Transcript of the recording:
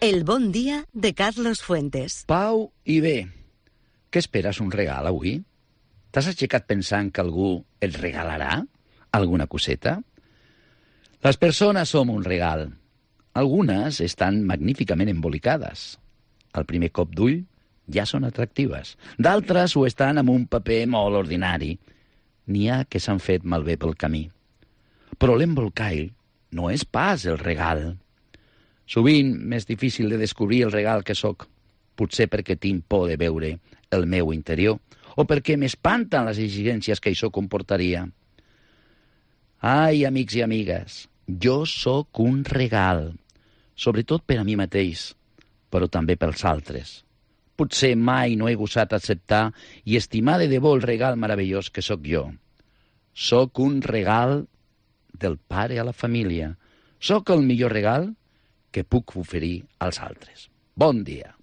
El bon dia de Carlos Fuentes. Pau i bé. Què esperes, un regal avui? T'has aixecat pensant que algú et regalarà alguna coseta? Les persones som un regal. Algunes estan magníficament embolicades. Al primer cop d'ull ja són atractives. D'altres ho estan amb un paper molt ordinari. N'hi ha que s'han fet malbé pel camí. Però l'embolcall no és pas el regal. Sovint m'és difícil de descobrir el regal que sóc, potser perquè tinc por de veure el meu interior o perquè m'espanten les exigències que això comportaria. Ai, amics i amigues, jo sóc un regal, sobretot per a mi mateix, però també pels altres. Potser mai no he gosat acceptar i estimar de debò el regal meravellós que sóc jo. Sóc un regal del pare a la família. Sóc el millor regal que puc oferir als altres. Bon dia.